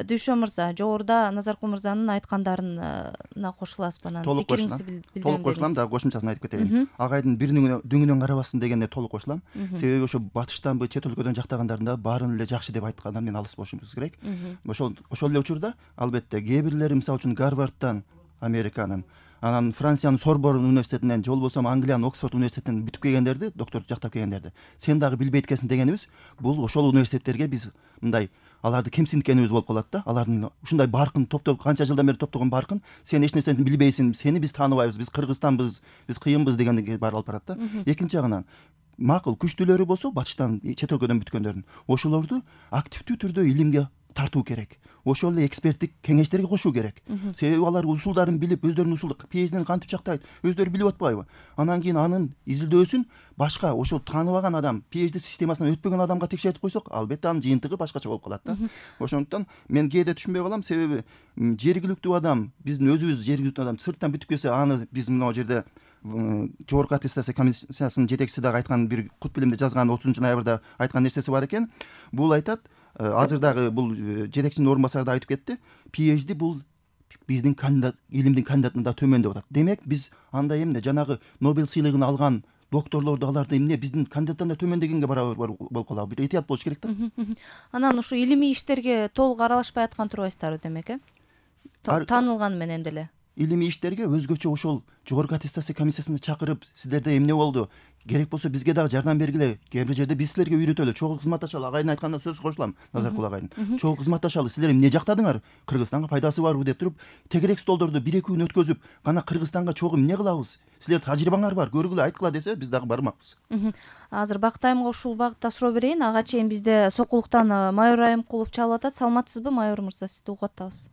Дүйшө мырза, жогоруда Назаркул мырзанын айткандарына кошуласызбы? Анан Толук кошулам, дагы кошумчасын айтып кетейин. Агайдын бир дүңүнөн карабасын дегенде толук кошулам. Себеби ошо батыштанбы, чет өлкөдөн жактагандардын да баарын эле жакшы деп айткандан мен алыс болушубуз керек. Ошол эле учурда албетте кээ бирлери мисалы үчүн Гарвардтан, Американын, анан Франциянын Сорбонн университетинен же болбосо Англиянын Оксфорд университетинен бүтүп келгендерди, доктор жактап келгендерди сен дагы билбейт экенсиң дегенибиз бул ошол университеттерге биз мындай аларды кемсинткенибиз болуп калат да. Алардын ушундай баркын канча жылдан бери топтогон баркын, сен эч нерсени билбейсиң, сени биз тааныбайбыз, биз Кыргызстанбыз, биз кыйынбыз дегенге баары алып барат да. Экинчи жагынан макул күчтүүлөрү болсо батыштан, чет өлкөдөн бүткөндөрдүн ошолорду активдүү түрдө илимге тартуу керек. Ошол эле эксперттик кеңештерге кошуу керек. Себеби алар усулдарын билип, өздөрүнүн усулду PhD'ни кантип жактайт, өздөрү билип атпайбы? Анан кийин анын изилдөөсүн башка ошол тааныбаган адам, PhD системасынан өтпөгөн адамга текшертип койсок, албетте анын жыйынтыгы башкача болуп калат да. Ошондуктан мен кээде түшүнбөй калам, себеби жергиликтүү адам, биздин өзүбүз жергиликтүү адам сырттан бүтүп келсе, аны биз мына жерде Жогорку аттестация комиссиясынын жетекчиси дагы айткан бир кут билимде жазган 30 ноябрда айткан нерсеси бар экен. Бул айтат, азыр дагы бул жетекчинин орун басары да айтып кетти. PhD бул биздин кандидат, илимдин кандидатынан да төмөн деп атат. Демек биз андай эмне жанагы Нобель сыйлыгын алган докторлорду аларды эмне биздин кандидаттан да төмөн дегенге барабар болуп калабы. Бир этият болуш керек да. Анан ушу илимий иштерге толук аралашпай аткан турбайсыздарбы демек, таанылган менен деле? Илимий иштерге өзгөчө ошол жогорку аттестация комиссиясына чакырып, сиздерде эмне болду? Керек болсо бизге дагы жардам бергиле. Кээ бир жерде биз силерге үйрөтөлү. Чогуу кызматташалы. Агайдын айтканына сөз кошулам, Назаркул агайдын. Чогуу кызматташалы. Силер эмне жактадыңар? Кыргызстанга пайдасы барбы деп туруп, тегерек столдорду 1-2 күн өткөзүп, кана Кыргызстанга чогуу эмне кылабыз? Силер тажрыйбаңар бар, көргүлө, айткыла десе, биз дагы бармакпыз. Азыр Бактайымга ушул багытта суроо берейин. Ага чейин бизде Сокулуктан майор Айымкулов чалып атат. Саламатсызбы, майор мырза? Сизди угуп атабыз.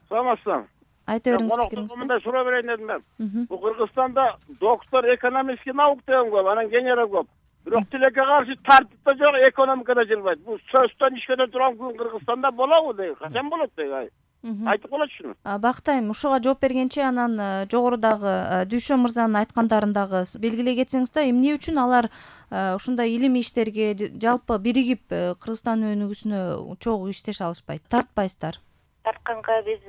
Саламатсызбы. Айта бериңиз пикириңизди. Мындай суроо берейин дедим мен. Бул Кыргызстанда доктор экономический наук деген көп, анан генерал көп. Бирок тилекке каршы тартип да жок, экономикада жылбайт. Бул сөзтөн ишкеден турган күн Кыргызстанда болобу дейт. Качан болот дейт. Айтып болотчу шуну. Бактайм, ушуга жооп бергенче анан жогорудагы Дүйшө мырзанын айткандарын дагы белгилей кетсеңиз да, эмне үчүн алар ушундай илимий иштерге жалпы биригип Кыргызстан өнүгүүсүнө чогуу иштеше алышпайт, тартпайсыздар? Тартканга биз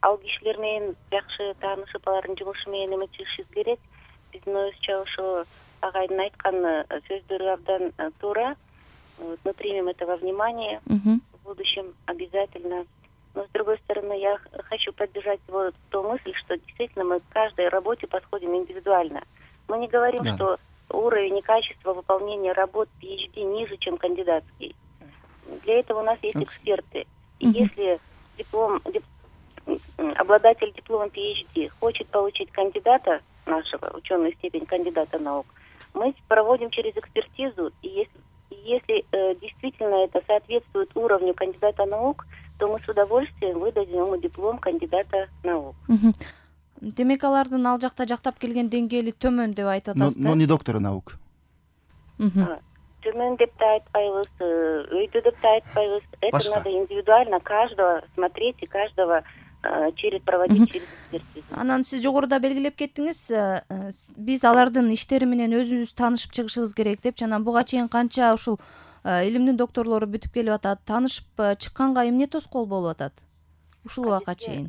ал кишилер менен жакшы таанышып, алардын жумушу менен эметишибиз керек. Биздин оюбузча ошо агайдын айткан сөздөрү абдан туура. Мы примем это во внимание в будущем обязательно. Но с другой стороны, я хочу поддержать его ту мысль, что действительно мы к каждой работе подходим индивидуально. Мы не говорим, что уровень и качество выполнения работ PhD ниже, чем кандидатский. Для этого у нас есть эксперты. И если обладатель диплома PhD хочет получить кандидата нашего, ученую степень кандидата наук, мы проводим через экспертизу, и если действительно это соответствует уровню кандидата наук, то мы с удовольствием выдадим ему диплом кандидата наук. Демек алардын ал жакта жактап келген деңгээли төмөн деп айтып атасыз да? Но не доктора наук. Төмөн деп да айтпайбыз, өйдө деп да айтпайбыз. Это надо индивидуально каждого смотреть и каждого проводить через экспертизу. Анан сиз жогоруда белгилеп кеттиңиз, биз алардын иштери менен өзүбүз таанышып чыгышыбыз керек депчи. Анан буга чейин канча ушул илимдин докторлору бүтүп келип атат, таанышып чыкканга эмне тоскоол болуп атат ушул убакка чейин?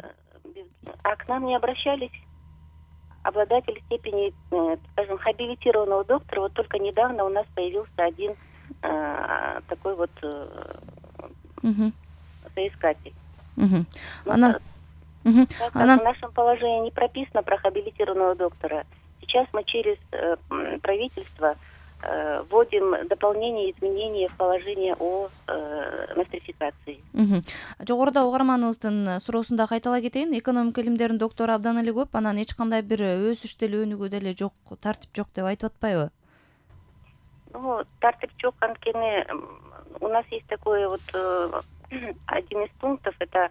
А к нам не обращались обладатели степени, скажем, хабилитированного доктора. Вот только недавно у нас появился один такой вот соискатель. В нашем положении не прописано про хабилитированного доктора. Сейчас мы через правительство вводим дополнение, изменения в положение о нострификации. Жогоруда угарманыбыздын суроосунда кайталай кетейин. Экономика илимдеринин доктору абдан эле көп, анан эч кандай бир өсүш деле өнүгүү деле жок, тартип жок деп айтып атпайбы? Ну, тартип жок анткени у нас есть такой вот один из пунктов, это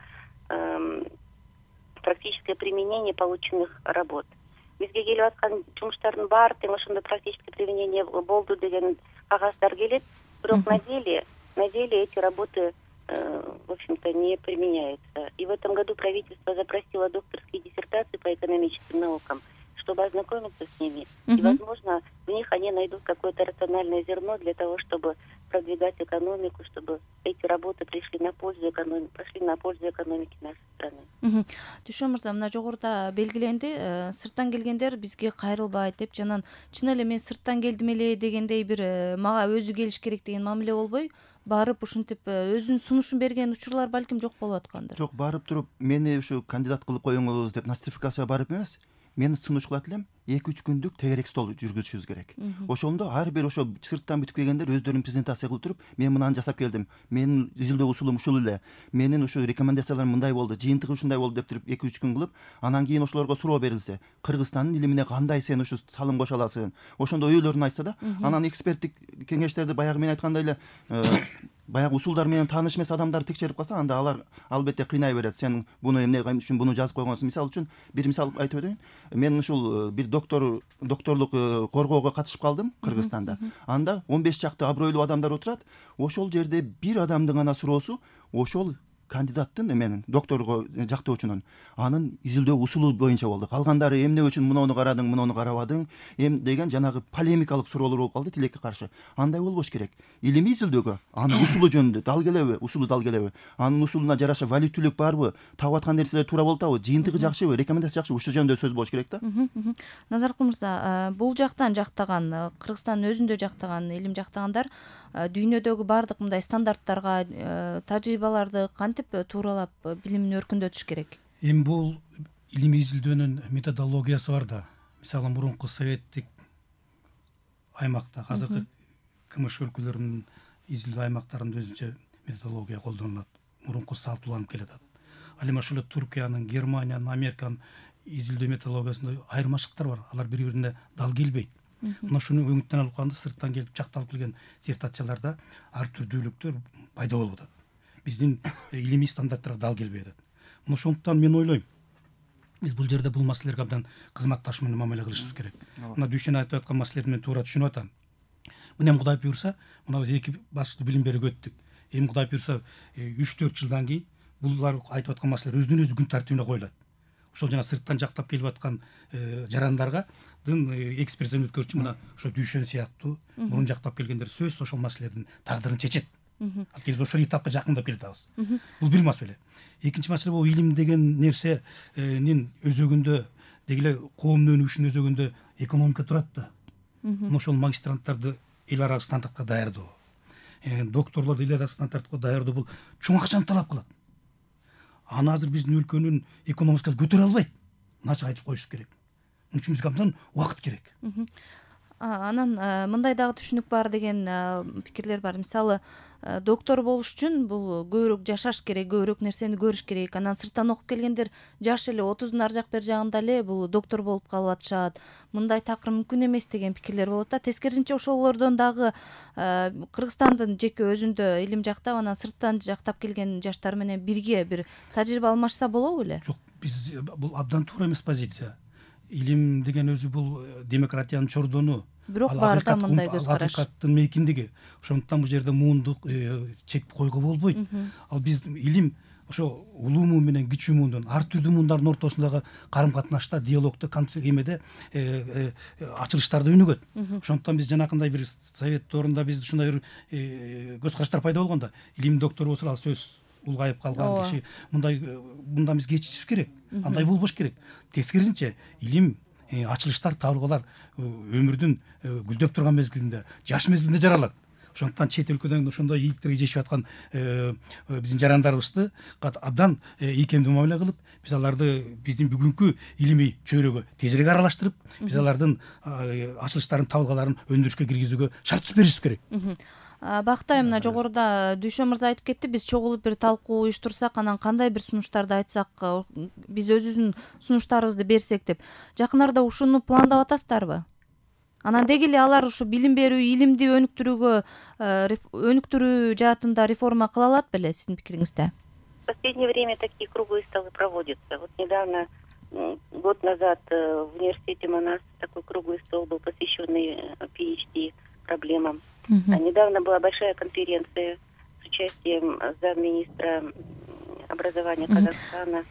практическое применение полученных работ. Бизге келип аткан жумуштардын баары тең ошондой практическое применение болду деген кагаздар келет, бирок на деле эти работы в общем-то не применяются. И в этом году правительство запросило докторские диссертации по экономическим наукам, чтобы ознакомиться с ними. И, возможно, в них они найдут какое-то рациональное зерно для того, чтобы продвигать экономику, чтобы эти работы пошли на пользу экономике нашей страны. Түшөн мырза, мына жогоруда белгиленди, сырттан келгендер бизге кайрылбайт деп, жанан чын эле мен сырттан келдим эле дегендей бир мага өзү келиш керек деген мамиле болбой, барып ушинтип өзүнүн сунушун берген учурлар балким жок болуп аткандыр. Жок, барып туруп мени ушу кандидат кылып коюңуз деп нострификацияга барып эмес, мен сунуш кылат элем, 2-3 күндүк тегерек стол жүргүзүшүбүз керек. Ошондо ар бир ошо сырттан бүтүп келгендер өздөрүн презентация кылып туруп, мен мынаны жасап келдим, менин изилдөө усулум ушул эле, менин ушу рекомендацияларым мындай болду, жыйынтыгы ушундай болду деп туруп 2-3 күн кылып, анан кийин ошолорго суроо берилсе, Кыргызстандын илимине кандай сен ушу салым кошо аласың, ошондо өйлөрүн айтса да, анан эксперттик кеңештерди баягы мен айткандай эле баягы усулдар менен тааныш эмес адамдар текшерип калса, анда алар албетте кыйнай берет. Сен буну эмне үчүн буну жазып койгонсуң? Мисалы үчүн бир мисал айтып өтөйүн. Мен ушул бир докторлук коргоого катышып калдым Кыргызстанда. Анда 15 чакты абройлуу адамдар отурат. Ошол жерде бир адамдын гана суроосу ошол кандидаттын менин докторго жактоочунун анын изилдөө усулу боюнча болду. Калгандары эмне үчүн муну карадың, муну карабадың, деген жанагы полемикалык суроолор болуп калды тилекке каршы. Андай болбош керек. Илимий изилдөөгө анын усулу жөнүндө дал келеби, усулу дал келеби, анын усулуна жараша валидтүүлүк барбы, таап аткан нерселер туура болуп атабы, жыйынтыгы жакшыбы, рекомендация жакшыбы, ушул жөнүндө сөз болуш керек да. Назаркул мырза, бул жактан жактаган, Кыргызстандын өзүндө жактаган, илим жактагандар дүйнөдөгү баардык мындай стандарттарга, тажрыйбаларды кантип тууралап билимин өркүндөтүш керек? Эми бул илимий изилдөөнүн методологиясы бар да. Мисалы мурунку советтик аймакта, азыркы КМШ өлкөлөрүнүн изилдөө аймактарында өзүнчө методология колдонулат. Мурунку салтууланып келатат. Ал эми ошол Туркиянын, Германиянын, Американын изилдөө методологиясында айырмачылыктар бар. Алар бири-бирине дал келбейт. Мына ушуну өңүттөн алып калганда сырттан келип жакталып келген диссертацияларда ар түрдүүлүктөр пайда болуп атат. Биздин илимий стандарттарга дал келбей атат. Мына ошондуктан мен ойлойм, биз бул жерде бул маселелерге абдан кызматташ менен мамиле кылышыбыз керек. Мына Дүйшен айтып аткан маселелерди мен туура түшүнүп атам. Мына Кудай буйрса, мына биз 2 башкы билим берүүгө өттүк. Эми Кудай буйрса 3-4 жылдан кийин булар айтып аткан маселелер өзүнүн өзү күн тартибине коюлат. Ошол жана сырттан жактап келип аткан жарандарга экспертиза өткөрчү мына ошо Дүйшен сыяктуу мурун жактап келгендер сөзсүз ошол маселелердин тагдырын чечет. Келип ошол этапка жакындап келатабыз. Бул бир маселе. Экинчи маселе бул илим деген нерсенин өзөгүндө дегеле коомдун өнүгүшүнүн өзөгүндө экономика турат да. Ошол магистранттарды эл аралык стандартка даярдоо, докторлорду эл аралык стандартка даярдоо бул чоң акчаны талап кылат. Аны азыр биздин өлкөнүн экономикасы көтөрө албайт. Ачык айтып коюш керек. Муну үчүн бизге абдан убакыт керек. Анан мындай дагы түшүнүк бар деген пикирлер бар. Мисалы, доктор болуш үчүн бул көбүрөөк жашаш керек, көбүрөөк нерсени көрүш керек. Анан сырттан окуп келгендер жаш эле 30-дун ар жак бер жагында эле бул доктор болуп калып атышат. Мындай такыр мүмкүн эмес деген пикирлер болот да. Тескерисинче ошолордон дагы Кыргызстандын жеке өзүндө илим жактап, анан сырттан жактап келген жаштар менен бирге бир тажрыйба алмашса болобу беле? Жок, биз бул абдан туура эмес позиция. Илим деген өзү бул демократиянын чордону. Бирок баарда мындай көз караш. Акыйкаттын мейкиндиги. Ошондуктан бул жерде муундук чек койгого болбойт. Ал биз илим ошо улуу муун менен кичүү муундун, ар түрдүү муундардын ортосундагы карым-катнашта, диалогдо, эмеде ачылыштарды өнүгөт. Ошондуктан биз жанакындай бир совет доорунда биз ушундай бир көз караштар пайда болгондо илим доктору болсо ал сөз улгайып калган киши мындан биз кечишибиз керек. Андай болбош керек. Тескерисинче илим ачылыштар, табылгалар өмүрдүн гүлдөп турган мезгилинде, жаш мезгилинде жаралат. Ошондуктан чет өлкөдөн ошондой ийгиликтерге жешип аткан биздин жарандарыбызды абдан ийкемдүү мамиле кылып, биз аларды биздин бүгүнкү илимий чөйрөгө тезирээк аралаштырып, биз алардын ачылыштарын, табылгаларын өндүрүшкө киргизүүгө шарт түз беришибиз керек. Бактай, мына жогоруда Дүйшөн мырза айтып кетти, биз чогулуп бир талкуу уюштурсак, анан кандай бир сунуштарды айтсак, биз өзүбүздүн сунуштарыбызды берсек деп. Жакын арада ушуну пландап атасыздарбы? Анан деги эле алар ушу билим берүү, илимди өнүктүрүү жаатында реформа кыла алат беле сиздин пикириңизде? В последнее время такие круглые столы проводятся. Вот недавно, год назад, в университете Манас такой круглый стол был, посвященный PhD проблемам. А недавно была большая конференция с участием замминистра образования Казахстана.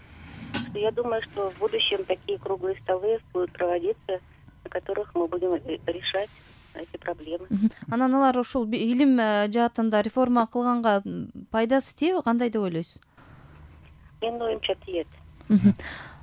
Я думаю, что в будущем такие круглые столы будут проводиться, на которых мы будем решать эти проблемы. Анан алар ушул илим жаатында реформа кылганга пайдасы тиеби, кандай деп ойлойсуз? Менин оюмча тиет.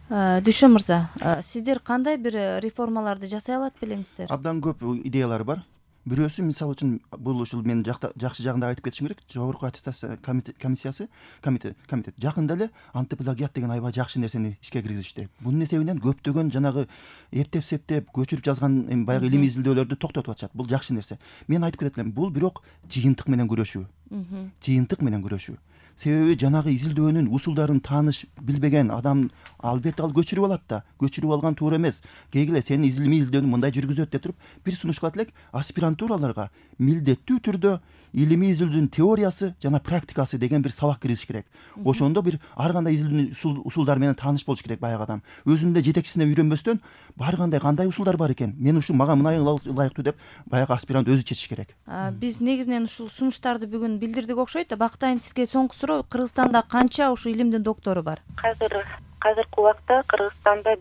Дүшө мырза, сиздер кандай бир реформаларды жасай алат белеңиздер? Абдан көп идеялар бар. Бирөөсү мисалы үчүн бул ушул менин жакшы жагында айтып кетишим керек. Жогорку аттестация комиссиясы комитет жакында эле антиплагиат деген аябай жакшы нерсени ишке киргизишти. Бунун эсебинен көптөгөн жанагы эптеп көчүрүп жазган баягы илимий изилдөөлөрдү токтотуп атышат. Бул жакшы нерсе. Мен айтып кетет элем, бул бирок жыйынтык менен күрөшүү. Себеби жанагы изилдөөнүн усулдарын тааныш билбеген адам албетте ал көчүрүп алат да. Көчүрүп алган туура эмес. Кегиле сени илимий изилдөөнү мындай жүргүзөт деп туруп бир сунуш кылат элек, аспирантураларга милдеттүү түрдө илимий изилдөөнүн теориясы жана практикасы деген бир сабак киргизиш керек. Ошондо бир ар кандай изилдөөнүн усулдары менен тааныш болуш керек баягы адам. Өзүнүн жетекчисине үйрөнбөстөн бар кандай усулдар бар экен, мен ушул мага мынай ылайыктуу деп баягы аспирант өзү чечиш керек. Биз негизинен ушул сунуштарды бүгүн билдирдик окшойт. Бактайм, сизге соңку суроо, Кыргызстанда канча ушул илимдин доктору бар? Азыркы убакта Кыргызстанда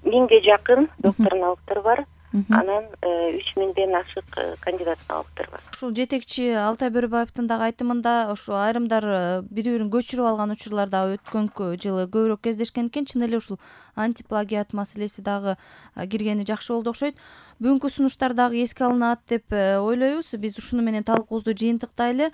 1000ге жакын доктор-налогтор бар. Анан 3000ден ашык кандидат-налогтор бар. Ушул жетекчи Алтай Бөрөбаевдин дагы айтымында ушул айрымдар бири-бирин көчүрүп алган учурлар дагы өткөн жылы көбүрөөк кездешкен экен. Чын эле ушул антиплагиат маселеси дагы киргени жакшы болду окшойт. Бүгүнкү сунуштар дагы эске алынат деп ойлойбуз. Биз ушуну менен талкуубузду жыйынтыктайлы.